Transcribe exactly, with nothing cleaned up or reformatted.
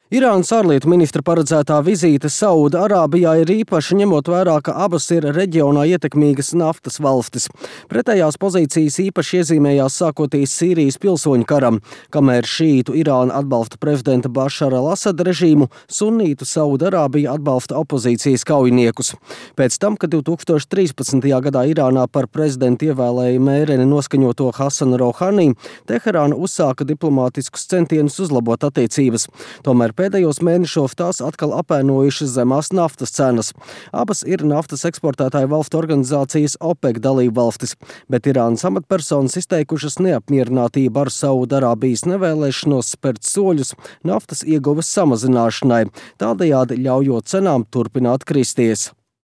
Irānas ārlietu ministra paredzētā vizīte Sauda Arābijā ir īpaši, ņemot vērā, ka abas ir reģionā ietekmīgas naftas valstis. Pretējās pozīcijas īpaši iezīmējās sākoties Sīrijas pilsoņu karam, kamēr šītu Irāna atbalsta prezidenta Bašara al-Asada režīmu, sunītu Sauda Arābija atbalsta opozīcijas kaujiniekus. Pēc tam, kad divtūkstoš trīspadsmitajā gadā Irānā par prezidentu ievēlēja mēreni noskaņoto Hasanu Rohani, Teherāna uzsāka diplomātiskus centienus uzlabot attiecības. Tomēr pēdējos mēnešos tās atkal apēnojušas zemās naftas cenas. Abas ir naftas eksportētāju valstu organizācijas OPEC dalību valstis, bet Irānas amatpersonas izteikušas neapmierinātību ar Saudarābijas nevēlēšanos spērt soļus naftas ieguves samazināšanai, tādējādi ļaujot cenām turpināt kristies.